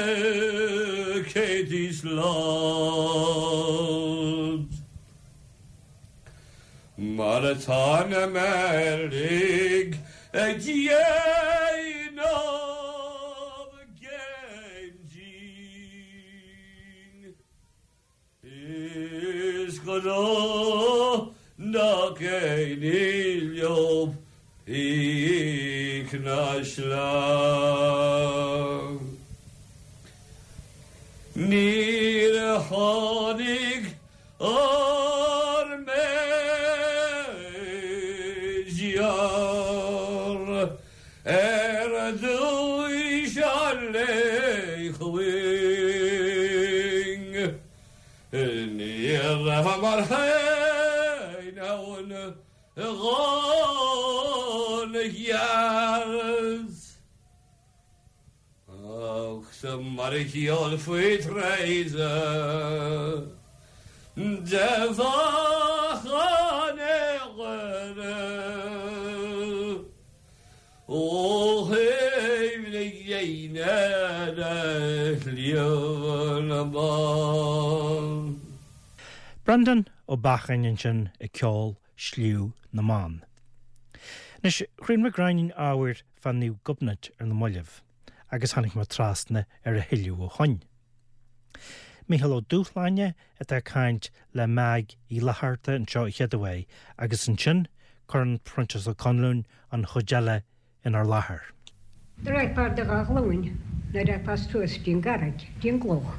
céadtaí slad. Mar atá na Meirligh ag déanamh géim dínn. Is gnách nach aon ní leo píc ná sleá. Níor tháinig ár Major ar dtús an lae chugainn. Ní rabhamar féin ann dhona gceart. Ach sa mar a cheol faoi tréise de bhachan Dhoire ó thaobh na gréine de Shliabh na mBan. Brendan Ó Beacháin ansin ag ceol Sliabh na mBan. Anois thriail mé gráinnín ábhair fá Naomh Gobnait ar na mallaibh, agus tháinig mé trasna ar a thuilleadh ó shoin. Mícheál Ó Dúshláine atá ag caint le Meaig Uí Fhlatharta anseo a chéaduair agus ansin cuireann Proinsias Ó Conluain an chuid eile inár láthair. Raghfá ar do dhá ghlúin nuair a raghfá suas dtí an gcarraig, dtí an gcloch.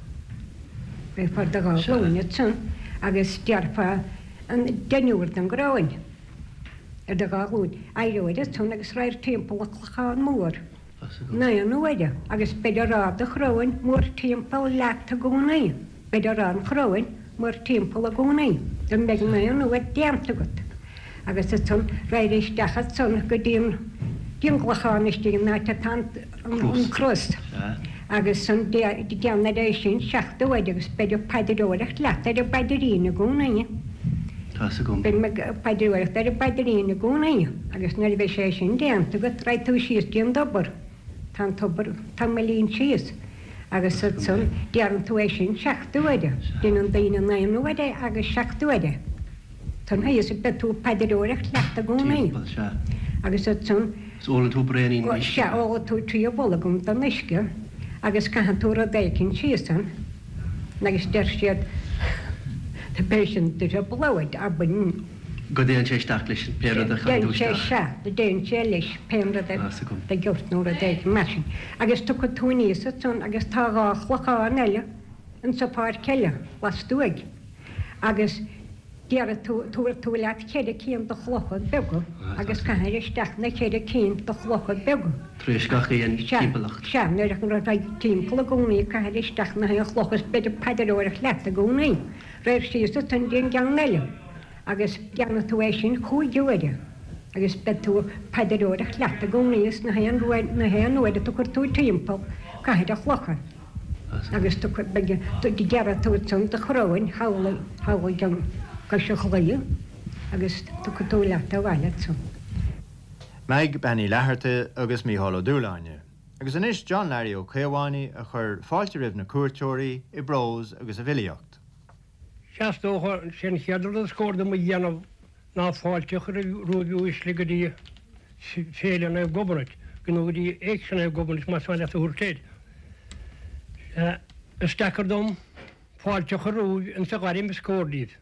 Raghfá ar do dhá ghlúin ansan agus déarfá an deichniúr den gcoróin ar do dhá ghlúin. Éireoir ansan agus raghair timpeall an Clochán Mór. Naoi n-uaire agus beid ag rá do choróin mórthimpeall leat i gcónaí. Beid ag rá an choróin mórthimpeall i gcónaí. Go mbeidh naoi n-uair déanta agat. Agus ansan raghair isteach ansan go dtí an dtí an gclochán istigh an áit atá an an cros. Agus san déanfair é sin seacht uair agus beid ag paidreoireacht leat ar an bpaidrín i gcónaí. Tá's agam. Beid ag paidreoireacht ar an bpaidrín i gcónaí agus nuair a bheidh sé sin déanta agat raghaidh tú síos dtí an tobar. Tá an tobar tamaillín síos agus ansan déanann tú é sin seacht uaire. Déanann daoine naoi n-uaire agus seacht uaire. Tá a fhios ag beidh tú ag paidreoireacht leat i gcónaí. Timpeall, sea. Agus ansan. Is ólann tú braonín uisce. Sea, ólann tú trí bholgam den uisce agus caitheann tú rud éicint síos ann agus deir siad Beidh sin trioblóid againn. Go dtéann sé isteach leis pé rud a chaitheann tú Dtéann sé, isteach. sea, go dtéann sé leis pé rud a Tá's agam. do ghiort nó rud éigin mar sin. Agus tiocfaidh tú aníos ansan agus tá dhá chlochán eile insa pháirc eile lastuaidh agus déarfaidh tú, tabharfaidh tú leat ceithre cinn de chlocha beaga agus caithfir isteach na ceithre cinn de chlocha beaga. Tar éis gach aon Sea, timpeallacht. sea, nuair a raghaidh timpeall i gcónaí caithfir isteach na haon chloch is beid ag paidreoireacht leat i gcónaí. Raghair síos ansan dtí an gceann eile agus déanfaidh tú é sin cúig uaire agus beidh tú ag paidreoireacht leat i gcónaí is na haon uair, na haon uair a tiocfaidh tú timpeall caithfir an chlocha agus tiocfaidh, beidh, déarfaidh tú ansan do choróin thall, thall ag an gcois an chlaí agus tiocfaidh tú leat abhaile ansan. Meaig Bean Uí Fhlatharta agus Mícheál Ó Dúshláine. Agus anois John Larry Ó Caomhánaigh a chuir fáilte roimh na cuairteoirí i bprós agus i bhfilíocht. Sea, is dócha, sé an chéad rud is cóir dom a dhéanamh ná fáilte a chur romhaibh uaisle go dtí Féile Naomh Gobnait, nó go dtí Éigse Naomh Gobnait más maith leat a thabhairt air. Sea, is deacair dom fáilte a chur romhaibh insa ghairm is cóir daoibh.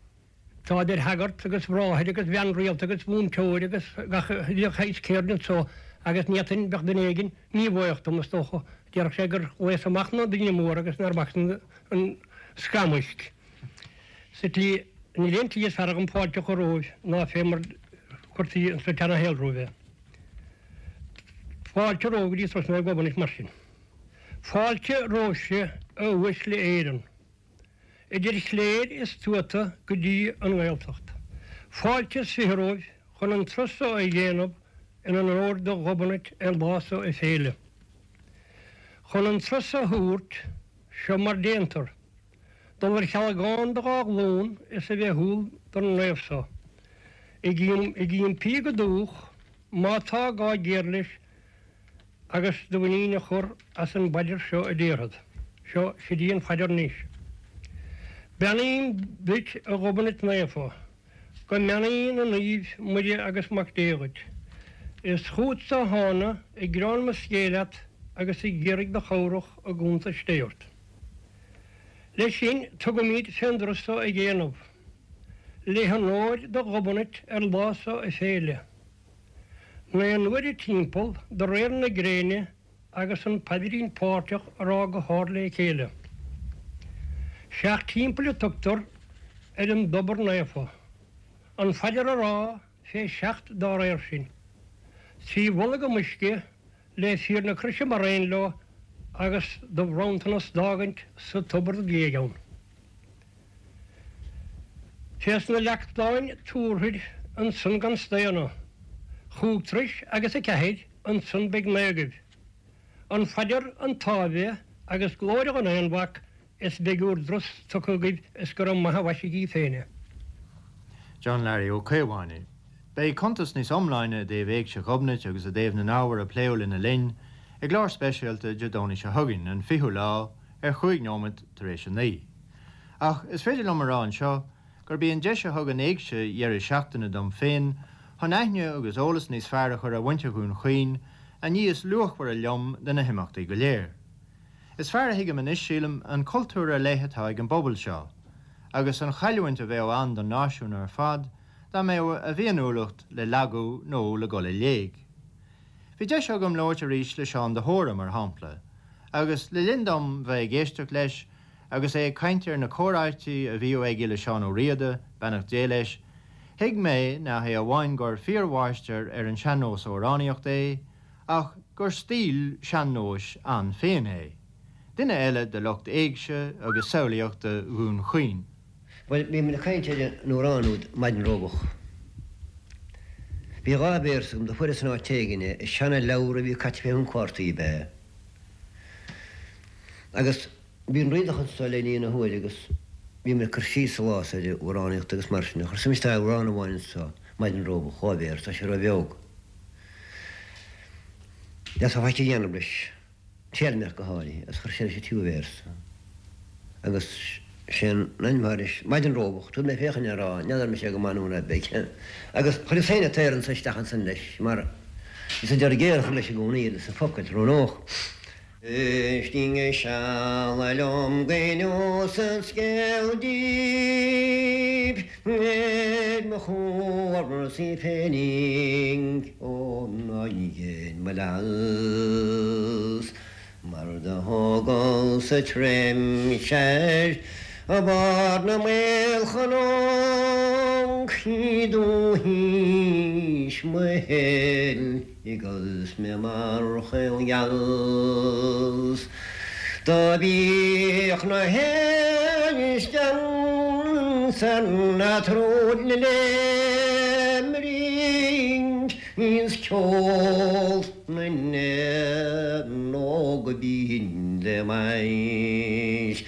Tá idir shagart agus bhráthair agus bhean rialta agus mhúinteoir agus gach uile shaghas ceird anso agus ní fhéadfainn, bheadh duine éigin míbhuíoch dom, is dócha, déarfadh sé gur ghlaos amach na daoine móra agus nár bhac an scamhaisc. Sa tslí, níl aon tslí is fearr agam fáilte a chur romhaibh ná fé mar chuirtí insa tseana-shaol romhaibh é. Fáilte romhaibh go dtí Turas Naomh Gobnait mar sin. Fáilte romhaibhse a uaisle Éireann. Idir chléir is tuata go dtí an nGaeltacht. Fáilte is fiche romhaibh chun an turas so a dhéanamh in onóir do Ghobnait ar lá so a féile. Chun an turas a thabhairt, seo mar déantar, dul ar chealgán do dhá ghlúin is a bheith umhal don naomh so. Ag impí go dúch, má tá gá géar leis, agus do mhuinín a chur as an bpaidir seo a déarfad. Seo, sid í an phaidir anois. Beannaím duit, a Ghobnait Naofa, go mbeannaí na naoimh Muire agus Mac Dé dhuit. Is chútsa a thána ag gearán mo scéil leat agus ag iarraidh do chabhrach i gcuntais Dé ort. Leis sin tugaimíd fén dturas so a dhéanamh, le honóir do Ghobnait ar lá so a féile. Naoi n-uaire timpeall de réir na gréine agus an paidrín páirteach a rá go hard le chéile. Seacht dtimpeall a tugtar ar an dtobar naofa. An phaidir a rá fé seacht dá réir sin. Trí bholgam uisce le fíor na croise mar aon leo agus do bhronntanas d'fhágaint sa tobar géag ann. Fés na leachtáin tabharfaid ansan gan staonadh. Chúig turais agus a ceathair, ansan beidh naoi agaibh. An phaidir, an tÁibhe agus glóire an Aonmhac is beidh bhur dturas tugtha agaibh is go raibh maith a mhaisígí féin é. John Larry Ó Caomhánaigh. Beidh cuntas níos iomláine i dtaobh Éigse Ghobnait agus i dtaobh na n-ábhar a pléadh lena linn i gclár speisialta Dé Domhnaigh seo chugainn, an fichiú lá, ar chúig nóiméad tar éis a naoi. Ach is féidir liom a rá anseo gurb í an deis a thug an éigse dheireadh seachtaine dom féin chun aithne agus eolas níos fearr a chur ar mhuintir Dhún Chaoin an ní is luachmhaire liom de na himeachtaí go léir. Is fearr a thuigim anois, sílim, an cultúr ar leith atá ag an bpobal seo, agus an chailliúint a bheadh ann don náisiún ar fad dá mbeadh a bhféiniúlacht le lagú nó le dul i léig. Bhí deis agam labhairt arís le Seán de hÓra, mar shampla, agus le linn dom bheith ag éisteacht leis agus é ag caint ar na comhráití a bhíodh aige le Seán Ó Riada, beannacht Dé leis, thuig mé nach hé amháin gur fíormháistir ar an sean-nós amhránaíocht é, ach gur stíl sean-nóis ann féin é. Duine eile de lucht éigse agus samhlaíochta Dhún Chaoin. Bhuel, bhí mé ag caint ar an amhrán úd Maidin Róbach. Bhí dhá véarsa agam do fuaireas in áit éigin é, i seana-leabhar a bhí caite fé thon cártaí ab ea. Agus bhí an Riadach anso le linn na huaire agus bhí mé ag cur síos sa lá so ar amhránaíocht agus mar sin. Chuir suim isteach amhrán amháin anso, Maidin Róbach, dhá véarsa, tá sé ró-bheag. D'fhéadfá faic a dhéanamh leis. Téalmaíocht go háirithe, agus chuir sé leis an tríú véarsa. Agus sé an ainm atá leis, Maidin Róbach, tabharfaidh mé féachaint air á, n'fheadar mise go maith nó ná beidh. Agus chuireas féin an t-aor anso isteach ansan leis, mar is an deireadh géar a chur leis i gcónaí, leis na focail, roghnódh. Éistigí seal liom go n-inseod scéal daoibh ar mo chúrsaí féinig ó ná dhein mo leas mar do thógas sa tréimhse ar bharr na maolchnoc i dtúis mo shaoil agus mé mar chaol gheal 's do bhíodh na héisc ansan a troid le rinc is ceol na n-éan óg go binn le m'ais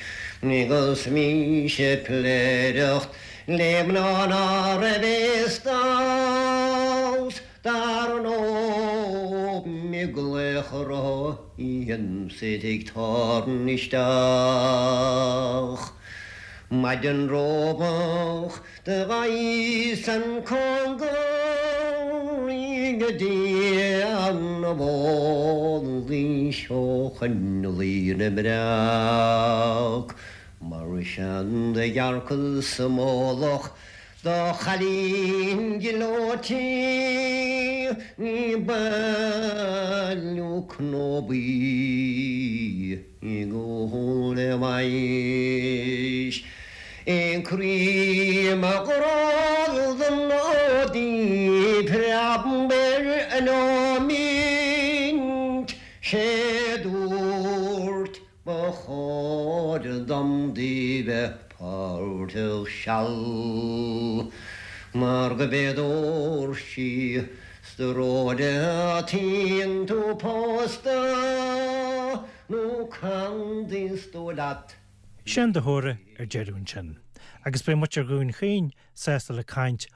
agus mise ag pléireacht le mná ná raibh fhios domh 's dar ndóigh i gclaochra is iad ag tarraingt isteach. Maidin róbach do ghabhas an cóngar go dtí an bhólaí ó choinnlí na mbreac mar sin do dhearcas sa mullach do chailín gleoite ag bailiú cnóbaí ag ól le m'ais. Croí mo ghrá don nódí preab ar an nóimint sé dúirt ba chóir dom di bheith páirteach seal mar go b'fhéidir sí 's de róide tíonn tú pósta nó can is dóigh leat. Seán de hÓra ar deireadh ansin, agus beidh muintir Dhún Chaoin sásta le caint